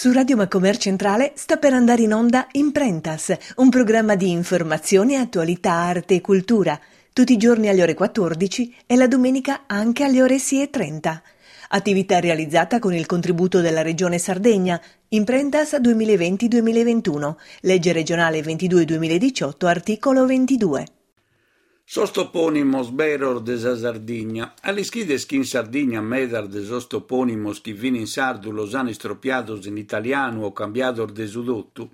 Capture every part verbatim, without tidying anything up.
Su Radio Macomer Centrale sta per andare in onda Imprentas, un programma di informazione, attualità, arte e cultura, tutti i giorni alle ore quattordici e la domenica anche alle ore sei e trenta. Attività realizzata con il contributo della Regione Sardegna, Imprentas duemilaventi duemilaventuno, legge regionale ventidue duemiladiciotto, articolo ventidue. Sos toponimos beros de sa Sardigna. A l'ischides chi in Sardigna medas de sos toponimos chi fin in sardu los an istropiados in italianu o cambiados de su totu?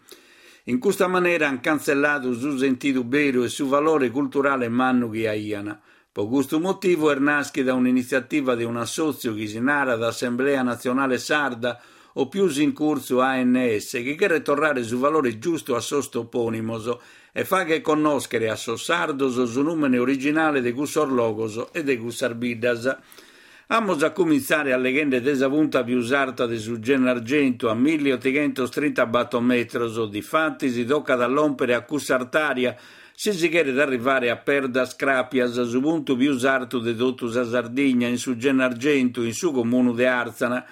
In custa manera an cantzelladu su sentidu beru e su valore culturale mannu chi aian. Pro custu motivu est naschida un'initziativa de un'assòtziu chi si narat Assemblea Natzionale Sarda o pius in curtzu A N S, chi cheret torrare su valore giustu a sos toponimos e faghet connòschere a sos sardos su nùmene originale de cussos logos e de cussas biddas. Amus a cumintzare alleghende de sa punta pius arta de su Gennargentu, a milleotighentos trintabattor metros. Difatis tocat a lòmpere a cussa artària si si cheret arrivare a Perdas Crapias, su puntu pius artu de totu sa Sardigna, in su Gennargentu, in su comunu de Arzana.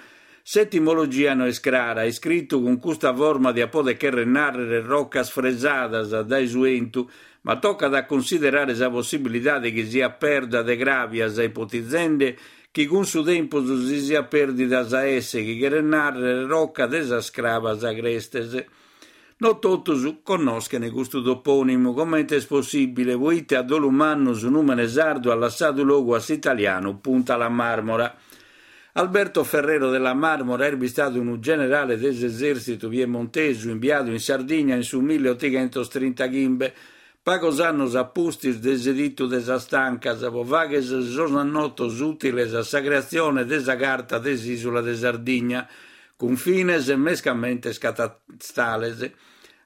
S'etimologia no est crara, iscritu cun custa forma diat poder cherrer nàrrere rocas fresadas dae su entu, ma tocat a cunsiderare sa possibilidade chi siat perda de crabias, ipotizende chi cun su tempus si siat perdida sa S, chi cheret nàrrere roca de sas crabas agrestes. No totus connoschent custu topònimu, comente est possìbile, poite a dolu mannu su nùmene sardu at lassadu logu a s'italianu Punta la Marmora. Alberto Ferrero della Marmora est bistadu unu generale de s'esertzitu piemontesu imbiadu in Sardigna in su milleotighentos trintaghimbe, pagos annos a pustis de s'edittu de sas Tancas, pro fagher sos annotos ùtiles a sa creatzione de sa Carta de s'Ìsula de Sardigna, cun fines mescamente catastales.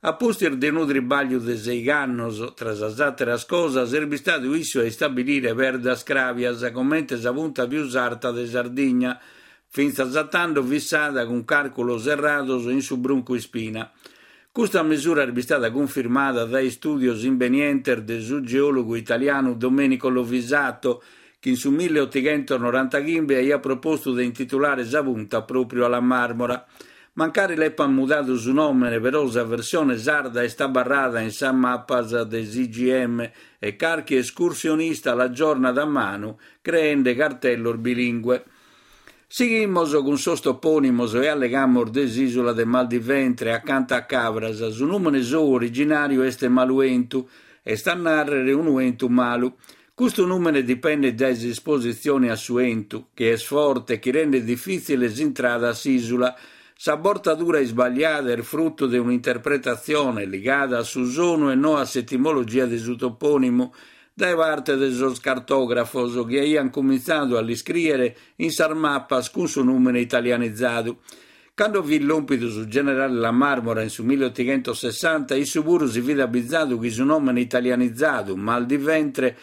A pustis de unu tribagliu de seighi annos, tra sas àteras cosas, est bistadu issu a istabilire Perdas Crabias comente sa punta pius arta de Sardigna, fintzas a tando fissada cun càrculos errados in su Bruncu Ispina. Custa mesura est bistada cunfirmada dae istùdios imbenientes de su geòlogu italianu Domenico Lovisato, chi in su milleotighentos norantaghimbe aiat propostu de intitulare sa punta pròpriu a la Marmora. Mancari l'epan mudadu su nòmene, però sa versione sarda est abarrada in sas mapas de s'I G M e carchi escursionista l'aggiornat a manu creende cartellos bilingue. Sighimos cun sos topònimos e allegamos de s'ìsula de Maldiventre, acanta a Cabras. Su nùmene sou originàriu est Maluentu, est a nàrrere unu entu malu. Custu nùmene dipendet dae s'espositzione a su entu, chi est forte e chi rendet difìtzile s'intrada a s'ìsula. Sa bortadura isbagliada est frutu de un'interpretatzione ligada a su sonu e no a s'etimologia de su topònimu dae parte de sos cartògrafos chi aiant cumintzadu a l'iscrìere in sas mapas cun su nùmene italianizadu. Cando fit lòmpidu su generale La Marmora in su milleotighentos sessanta, issu puru si fit abizadu chi su nòmene italianizadu Mal di Ventre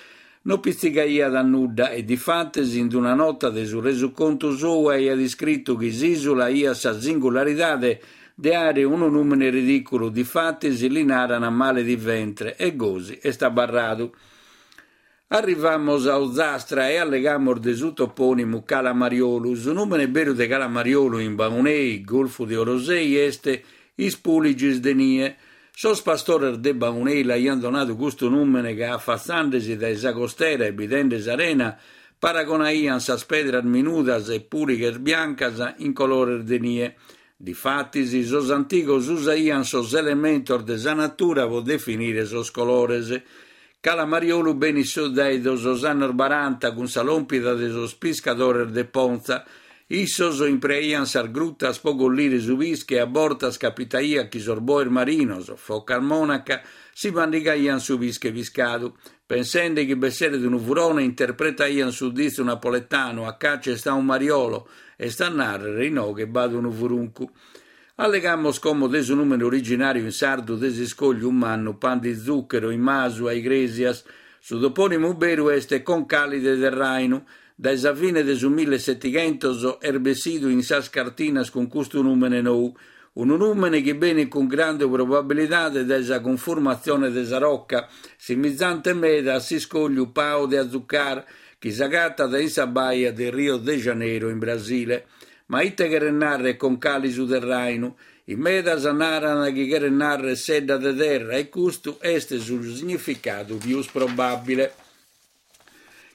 no pitzigaiat a nudda e difatis in una nota de su resucontu sou aiat iscritu chi s'ìsula aiat sa singularidade de àere unu nùmene ridìculu, difatis li naran male di ventre, e gosi est abarradu. Arrivamos a Ozastra e allegamos de su topònimu Cala Mariolu. Su nùmene beru de Cala Mariolu in Baunei, Golfu de Orosei, est Ispuligis de Nie. Sos pastores de Baunei l'aiant donadu custu nùmene ca, afatzandesi dae sa costera e bidende s'arena, paragonaiant sas pedras minudas e pùlighes biancas in colores de nie. Difatis, sos antigos usaiant sos elementos de sa natura pro definire sos colores. Cala Mariolu benit dae sos annos baranta cun sa lòmpida de sos piscadores de Ponza. Issos impreaiant sas grutas pro collire su pische e a bortas capitaiat chi sos boes marinos, focas monaca, si mandigaiant su pische piscadu. Pensende chi b'esseret unu furone, interpretaiant su ditzu napoletanu a caccia sta un mariolo, est a nàrrere inoghe b'at unu furuncu. Allegamos como de su nùmene originàriu in sardu de s'iscogliu mannu Pan di Zucchero in Masu a Igrèsias. Su topònimu beru est Concalide de Rainu. Dae sa fine de su millesettighentos est bessidu in sas cartinas cun custu nùmene nou, unu nùmene chi benit cun grande probabilidade dae sa cunformatzione de sa roca, simizante meda a s'iscogliu Pau de Azucar, chi s'agatat in sa baia de Rio de Janeiro in Brasile. Ma ite cheret narrer Concali su Terrainu? In medas naran chi cheret narrer sedda de terra e custu est su significadu pius probabile.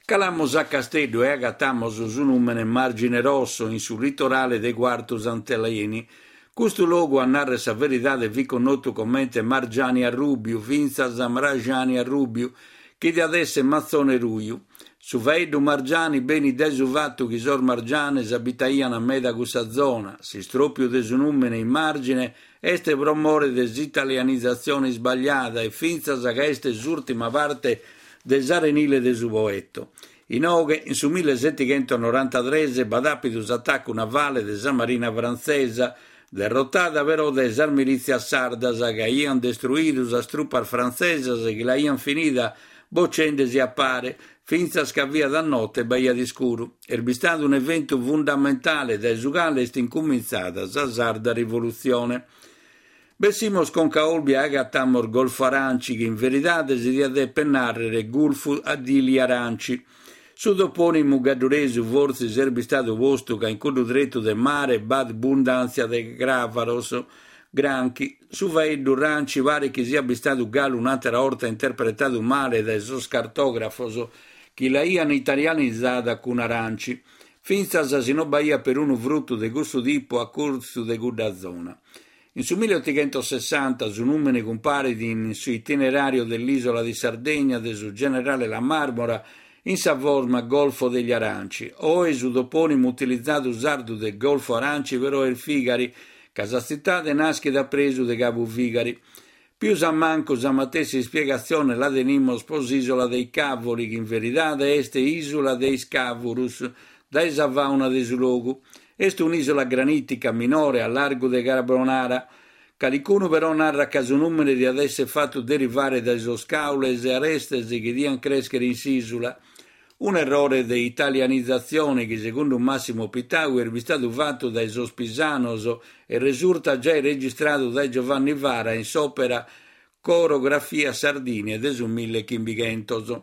Calamos a Casteddu e agatamos su nùmene Margine Rosso in su litorale de Quartu Sant'Eleni. Custu logu, a narrer sa veridade, fit connotu comente Margiani Arrubiu, fintzas Mraxani Arrubiu, chi diat esser Matzone Ruju. Su faeddu Margiani benit dae su fatu chi sos margianes abitaian meda cussa zona. S'istropiu de su nùmene in Margine est pro more de s'italianizatzione isbagliada e fintzas ca est s'ùrtima parte de s'arenile de su Poetto. Inoghe, in su millesettighentonorantatres, b'at àpidu s'atacu navale de sa marina frantzesa, derrotada però dae sas milìtzias sardas chi aian destruidu sas trupas frantzesas chi l'aian finida bocendesi a pare, fintzas ca fiat a note e b'aiat iscuru. Est bistadu un'eventu fundamentale dae su cale est incumintzada sa Sarda Rivolutzione. Bessimos conca a Olbia e agatamos Golfo Aranci, chi in veridade si diat deper nàrrere Gulfu degli Aranci. Su topònimu gadduresu fortzis est bistadu postu ca in cuddu tretu de mare b'at bundàntzia de cravaros granchi. Su faeddu ranci paret chi siat bistadu galu un'àtera 'orta interpretadu male dae sos cartògrafos chi l'aian italianizada cun aranci, fintzas si non b'aiat perunu frutu de cussu tipu a curtzu de cudda zona. In su milleottighentosessanta su nùmene cumparit in su itinerario dell'isola di Sardegna de su generale La Marmora in sa forma Golfo degli Aranci. Oe su topònimu utilizadu sardu de Golfo Aranci però est Figari, ca sa tzitade naschet a presu de Cabu Figari. Pius a mancu sa matessi ispiegatzione la tenimos pro s'isola dei Cavoli, chi in veridade est Isula de is Cavurus, dae sa fauna de su logu. Est un'isola granitica minore a largu de Carbonara. Calicunu però narat ca su nùmene diat esser fatu derivare dae sos caules e arestes chi dian crèschere in s'isula. Un errore de italianizatzione chi, segundu Massimo Pittau, est bistadu fatu dae sos pisanos e resurtat giai registradu dae Giovanni Vara in s'òpera Chorografia Sardiniae de su millechimbighentos.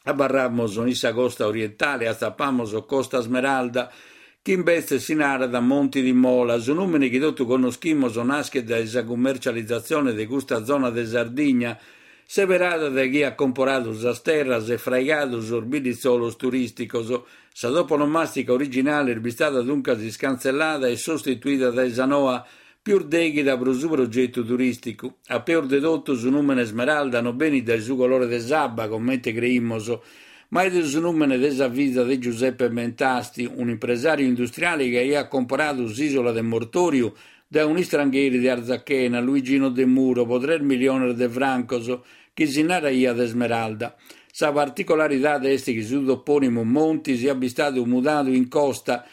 Abarramos in sa costa orientale e atzapamos Costa Smeralda, chi imbetzes si narat Monti di Mola. Su nùmene chi totu connoschimos naschet dae sa cummercializatzione de custa zona de Sardigna, seberada dae chi at comporadu sas terras e fraigadu sos bidditzolos turìsticos. Sa toponomàstica originale est bistada duncas iscantzellada e sostituida dae sa noa, pius dèghida pro su progetu turìsticu. A peus de totu, su nùmene Smeralda non benit dae su colore de s'abba, comente creimos, ma est su nùmene de sa fiza de Giuseppe Mentasti, un'impresàriu industriale chi aiat comporadu s'isola de Mortoriu dae un'istrangheri de Arzachena, Luigino De Muro, pro tres miliones de francos, chi si naraiat Esmeralda. Sa particularidade est chi su topònimu Monti siat bistadu mudadu in Costa,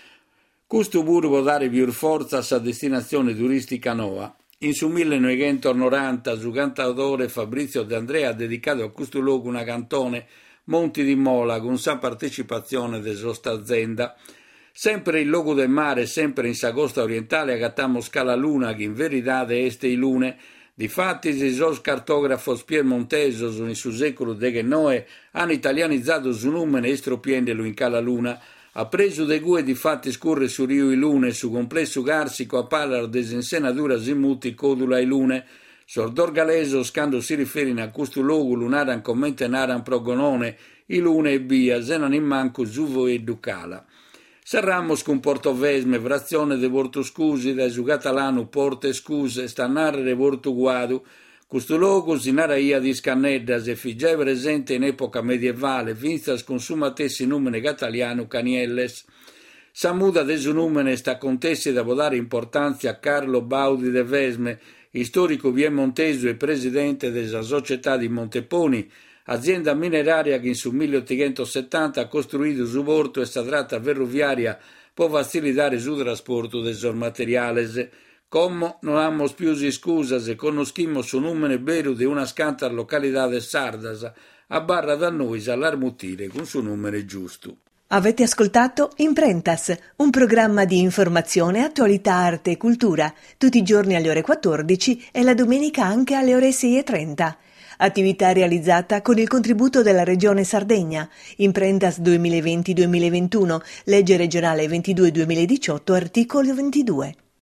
custu puru pro dare pius fortza a sa destinatzione turìstica noa. In su millenoveghentonoranta su cantautore Fabrizio De Andrea at dedicadu a custu logu una cantone, Monti di Mola, cun sa partecipatzione de sos Tazenda. Sempre in logu de mare, sempre in sa costa orientale, agatamos Cala Luna, chi in veridade est Ilune. Difatis, sos cartògrafos piemontesos in su sèculu deghennoe an italianizadu su nùmene istropiendelu in Cala Luna. A presu de cue difatis curret su riu Ilune e su complessu càrsicu a palas de s'insenadura si mutit Còdula Ilune. Sos dorgalesos, cando si riferin a custu logu, lu naran comente naran pro Gonone, Ilune ebbia, sena nimmancu su foeddu cala. Serramos cun Portovesme, fratzione de Portuscusi, dae su catalanu Port Escús, est a nàrrere Portu Cuadu. Custu logu si naraiat Iscanneddas e fit giai presente in època medievale, fintzas cun su matessi nùmene catalianu Canielles. Sa muda de su nùmene est acontèssida pro dare importàntzia a Carlo Baudi de Vesme, istòricu piemontesu e presidente de sa Società di Monteponi, azienda minerària chi in su milleottighentosettanta at costruidu su portu e sa trata ferroviària pro fatzilitare su trasportu de sos materiales. Como non amus pius iscusas e connoschimos su nùmene beru de unas cantas localidades sardas. Abarrat a nois a las mutire cun su nùmene giustu. Avete ascoltato Imprentas, un programma di informazione, attualità, arte e cultura, tutti i giorni alle ore quattordici e la domenica anche alle ore sei e trenta. Attività realizzata con il contributo della Regione Sardegna. Imprentas duemilaventi-duemilaventuno, legge regionale ventidue duemiladiciotto, articolo ventidue.